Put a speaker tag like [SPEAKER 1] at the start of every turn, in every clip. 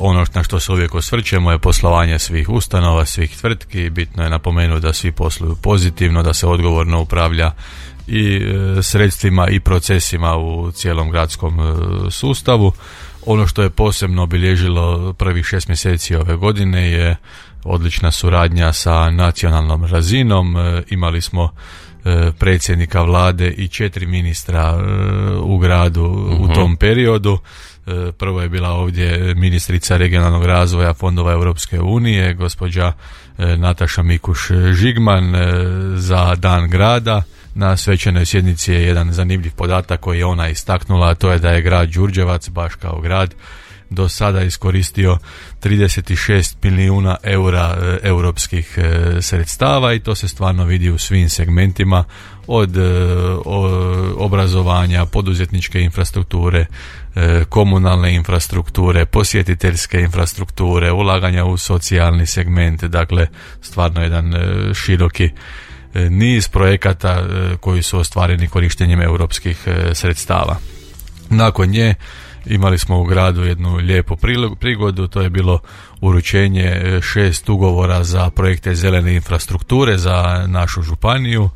[SPEAKER 1] Ono na što se uvijek osvrćemo je poslovanje svih ustanova, svih tvrtki. Bitno je napomenuti da svi posluju pozitivno, da se odgovorno upravlja i sredstvima i procesima u cijelom gradskom sustavu. Ono što je posebno obilježilo prvih 6 mjeseci ove godine je odlična suradnja sa nacionalnom razinom. Imali smo predsjednika vlade i 4 ministra u gradu u tom periodu. Prvo je bila ovdje ministrica regionalnog razvoja fondova Europske unije, gospođa Nataša Mikuš-Žigman za Dan grada. Na svečanoj sjednici je jedan zanimljiv podatak koji je ona istaknula, a to je da je grad Đurđevac, baš kao grad, do sada iskoristio 36 milijuna eura europskih sredstava i to se stvarno vidi u svim segmentima, od obrazovanja, poduzetničke infrastrukture, komunalne infrastrukture, posjetiteljske infrastrukture, ulaganja u socijalni segment. Dakle, stvarno jedan široki niz projekata koji su ostvareni korištenjem europskih sredstava. Nakon nje imali smo u gradu jednu lijepu prigodu, to je bilo uručenje 6 ugovora za projekte zelene infrastrukture za našu županiju.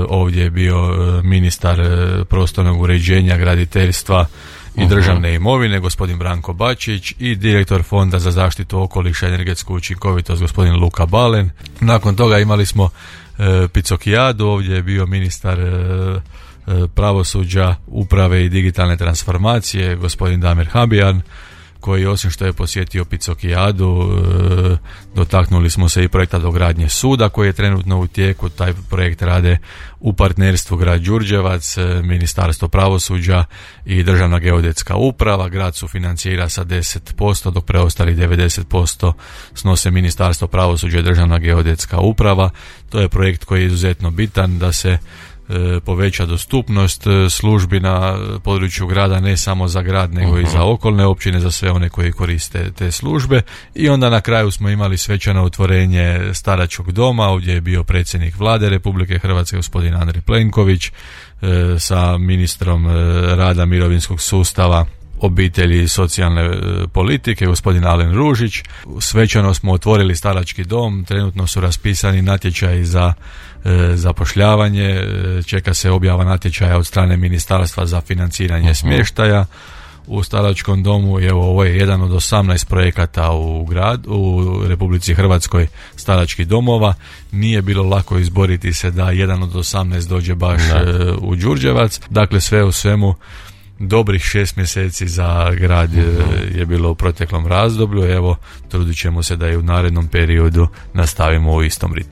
[SPEAKER 1] Ovdje je bio ministar prostornog uređenja, graditeljstva i državne imovine, gospodin Branko Bačić, i direktor Fonda za zaštitu okoliša i energetsku učinkovitost, gospodin Luka Balen. Nakon toga imali smo Picokijadu, ovdje je bio ministar pravosuđa, uprave i digitalne transformacije, gospodin Damir Habijan, koji osim što je posjetio Picokijadu, dotaknuli smo se i projekta dogradnje suda koji je trenutno u tijeku. Taj projekt rade u partnerstvu grad Đurđevac, Ministarstvo pravosuđa i Državna geodetska uprava. Grad sufinancira sa 10%, dok preostali 90% snose Ministarstvo pravosuđa i Državna geodetska uprava. To je projekt koji je izuzetno bitan da se poveća dostupnost službi na području grada, ne samo za grad nego i za okolne općine, za sve one koji koriste te službe. I onda na kraju smo imali svečano otvorenje staračkog doma. Ovdje je bio predsjednik vlade Republike Hrvatske gospodin Andrej Plenković sa ministrom rada, mirovinskog sustava, obitelji i socijalne politike gospodin Alen Ružić. Svečano smo otvorili starački dom, trenutno su raspisani natječaji za zapošljavanje, čeka se objava natječaja od strane Ministarstva za financiranje smještaja u staračkom domu. I evo, ovo je jedan od 18 projekata u Republici Hrvatskoj staračkih domova. Nije bilo lako izboriti se da jedan od 18 dođe baš u Đurđevac. Dakle, sve u svemu dobrih 6 mjeseci za grad je bilo u proteklom razdoblju. Evo, trudit ćemo se da i u narednom periodu nastavimo u istom ritmu.